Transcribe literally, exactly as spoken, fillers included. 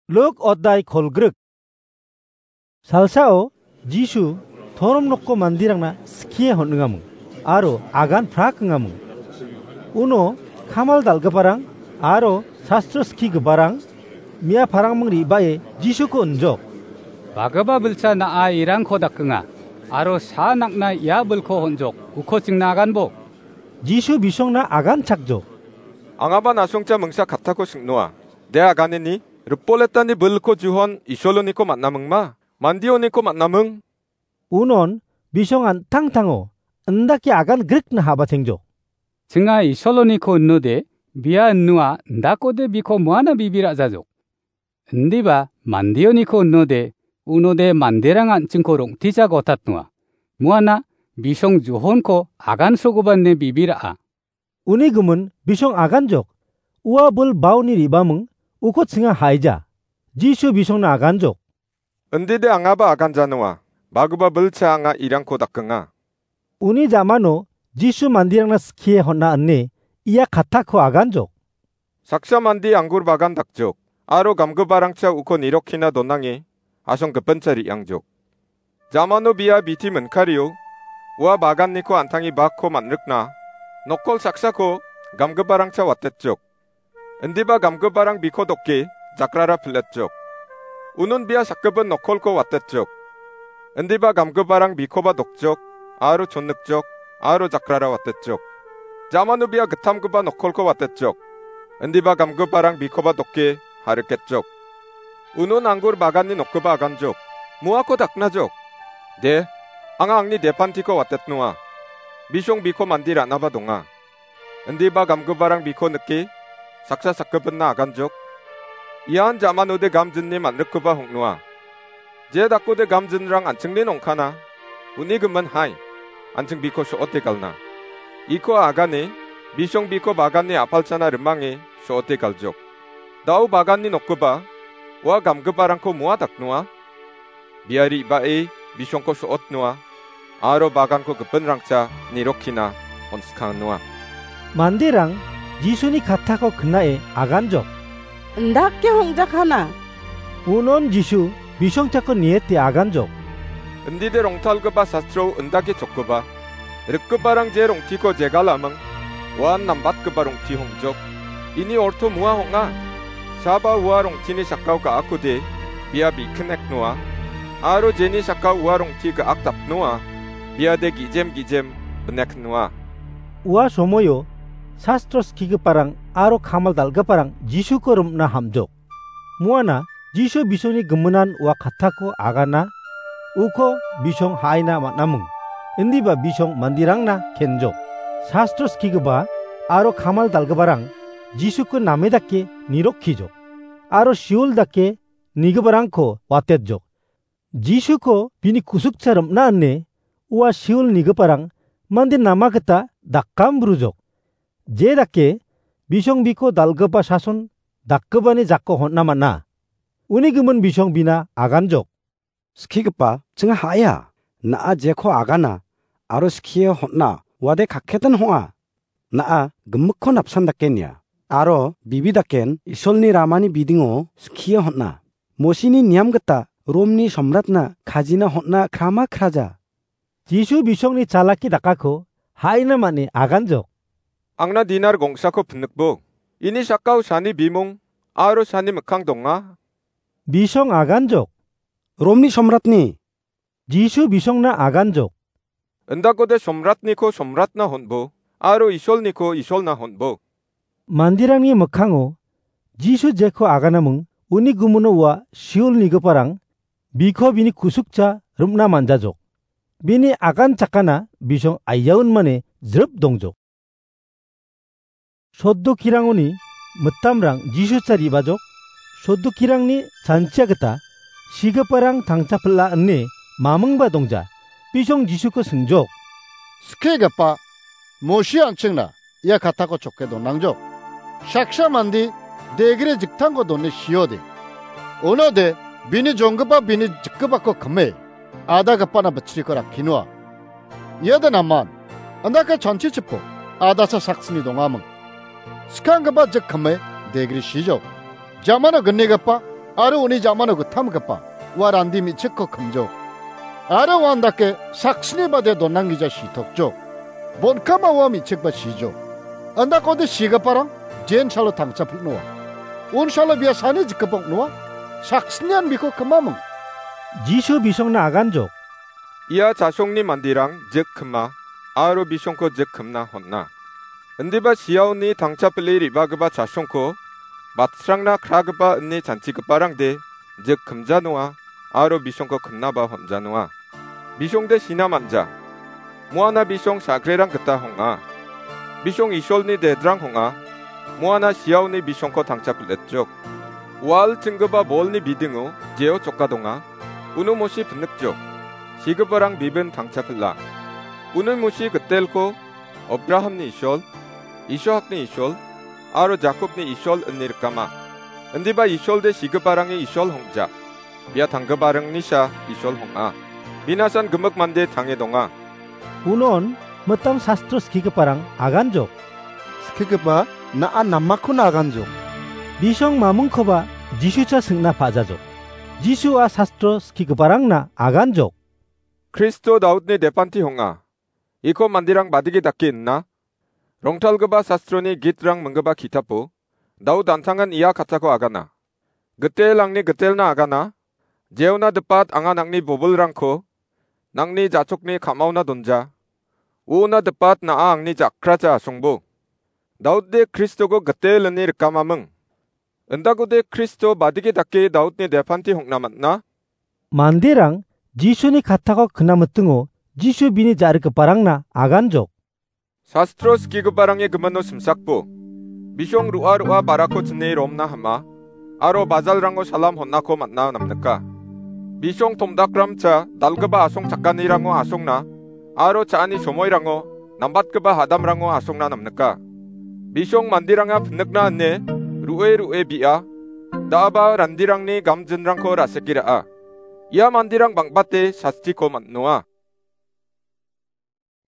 Luk odai kolgrik. Salsao Jisu torom nokko mandirangna skie hon·ingaming aro agan prak ingaming. Uno kamal dal·giparang aro sastro skigiparang mia parangming re·bae Jisuko injok. Bagipa bilsa na·a irangko dakenga aro sa nakna ia bilko honjok, uko chingna aganbo. Jisu bisongna agan chakjok. Angaba na·songcha mingsa kattako sing·noa. De aganeni, ripoletani bilko juhon Isoloniko man·amingma, mandioniko man·aming? Unon bisong an·tangtango indake agan grikna habatengjok. Chinga Isoloniko inode, bia inua indakode biko moana bibi ra·jajok. Indiba mandioniko inode, unode manderang an·chingko rong·tija gotatnoa. Moana bisong juhonko agan sogoba ine bibi ra·a. Uni gimin bisong aganjok. Ua bil baoni re·baming uko chinga haija. Jisu bisongna aganjok. Indide angaba aganjanoa. Bagipa bilcha anga irangko dakenga. Uni jamano Jisu mandirangna skie hon·a ine ia kattako aganjok. Saksa mande anggur bagan dakjok, aro gamgiparangcha uko nirokkina donange, asong gipincha re·angjok. Jamano bia biti minkario, ua baganniko an·tange bakko man·rikna, nokkol saksako gamgiparangcha watetjok. Indiba gamgiparang biko doke jakrara piletjok. Unun bia sakgipin nokkolko watetjok. Indiba gamgiparang bikoba dokjok, aro chonnikjok, aro jakrara watetjok. Jamano bia gittamgipa nokkolko watetjok. Indiba gamgiparang bikoba doke hariketjok. Unun anggur baganni nokgipa aganjok. Muako daknajok. De, anga angni depantiko watetnoa. Bisong biko mande ra·naba donga. Indiba gamgiparang biko nike, saksa sakgipinna aganjok. Ian jamanode gamjinni man·rikgipa hong·noa. Je dakode gamjinrang an·chingni nongkana, uni gimin hai, an·ching biko so·ote galna. Iko agane, bisong biko baganni a·palchana rimange so·ote galjok. Dao baganni nokgipa, ua gamgiparangko moa daknoa? Bia re·bae bisongko so·otnoa, aro baganko gipinrangcha nirokkina on·skangnoa. Manderang Jisuni kattako knae aganjok. Indake hongjakana. Unon Jisu bisongchako niete aganjok. Indide rongtalgipa sastrao indake chokgipa. Rikgiparang je rongtiko jegalaming, uan nambatgipa rongti hongjok. Ini orto mua hong·a. Saba ua rongtini sakao ga·akode bia bikineknoa. Aro jeni sakao ua rongti ga·ak dapnoa, biade gijem gijem bineknoa. Ua somoio sastro skigiparang aro kamal dal·giparang Jisuko rim·na hamjok. Muana Jisu bisongni giminan ua kattako agana, uko bisong ha·aina man·aming, indiba bisong manderangna kenjok. Sastro skigipa aro kamal dal·giparang Jisuko name dake nirokkijok, aro Sheol dake nigiparangko watetjok. Jisuko bini kusukcha rim·na ine ua Sheol nigiparang mande nama gita dakam brujok. Je dake bisong biko dal·gipa sason dakgipani jako hon·na man·a. Uni gimin bisong bina aganjok. Skigipa, chinga ha·aia. Na·a jeko agana aro skie hon·a, uade kakketan hong·a. Na·a gimikko napsan dake nia, aro bibi daken Isolni ramani bidingo skie hon·a. Mosini niam gita Romni somratna kajina hon·a krama kraja. Jisu bisongni chalaki dakako ha·ina man·e aganjok. Angna dinar gongsako pinikbo. Ini sakao sani bimung aro sani mikkang donga. Bisong aganjok. Romni somratni. Jisu bisongna aganjok. Indakode somratniko somratna hon·bo, aro Isolniko Isolna hon·bo. Manderangni mikkango Jisu jeko aganaming uni gumuno ua Sheol nigiparang biko bini kusukcha rim·na man·jajok. Bini agan chakana bisong aiaun mane jrip dongjok. Soddokirangoni mitamrang Jisu chari bajok, soddokirangni chanchia gita sigiparang tangcha pil·a ine mamingba dongja. Bisong Jisuko singjok. Skigipa, Mosi an·chingna ia katako choke donangjok. Saksa mande degre jiktangko done siode. Unode bini jonggipa bini jikgipako kime, adagipana bitriko rakkinoa. Iade naman, andake chanchichipo, adasa saksni dongaming. Skanggipa jik kime degre sijok. Jamano gnigipa, aro uni jamano gittamgipa ua randi me·chikko kimjok. Aro uandake saksni bade donanggija sitokjok. Bon·kama ua me·chikba sijok. Indakode sigiparang jensalo tangchapil·noa. Unsalo bia sani jikgipok noa. Saksnian biko kimaming." Jisu bisongna aganjok. Ia chasongni manderang jik kima aro bisongko jik kimna hon·a. Indiba siaoni tangchapile re·bagipa chasongko batsrangna kragipa ine chanchigiparangde jik kimjanoa aro bisongko kimnaba honjanoa. Bisongde sina man·ja. Moana bisong sagrerang gita hong·a. Bisong Isolni dedrang hong·a. Moana siaoni bisongko tangchapil·etjok. Wal chinggipa bolni bidingo jeo choka donga. Uno musi pinikjok. Sigiparang bibin tangchapila. Uno musi gitelko Abrahamni Isol, Isakni Isol, aro Jakobni Isol ine rikama. Indiba Isolde sigiparangni Isol hongja. Bia tanggiparangni sa Isol hong·a. Binasan gimik mande tange donga. Unon mitam sastro skigiparang aganjok. Skigipa, na·a namakkona aganjok. Bisong mamingkoba Jisucha singna pa·jajok. Jisu a sastro skigiparangna aganjok. Kristo Daudni depanti hong·a. Iko manderang badigi dake inna. Rongtalgipa sastroni gitrang minggipa kitapo, Daud an·tangan ia katako agana. Gitel angni gitelna agana, jeona dipat anga nangni bobilrangko, nangni jachokni ka·maona donja. Uona dipat na·a angni jakracha asongbo. Daudde Kristoko gitel ine rikamaming. Indakode Kristo badigi dake Daudni depanti hong·na man·a? Manderang Jisuni katako knamitingo Jisu bini ja·rikgiparangna aganjok. Sastro skigiparangni gimino simsakbo. Bisong ro·a ro·a barako chine romna hama, aro bajalrango salam hon·ako man·a namnika. Bisong tomdakramcha dalgipa asong chakanirango asongna, aro cha·ani somoirango nambatgipa hadamrango asongna namnika. Bisong manderanga pinikna ine ro·e ro·e bi·a, da·aba randirangni gamjinrangko ra·seke ra·a. Ia manderang bang·bate sastiko man·noa.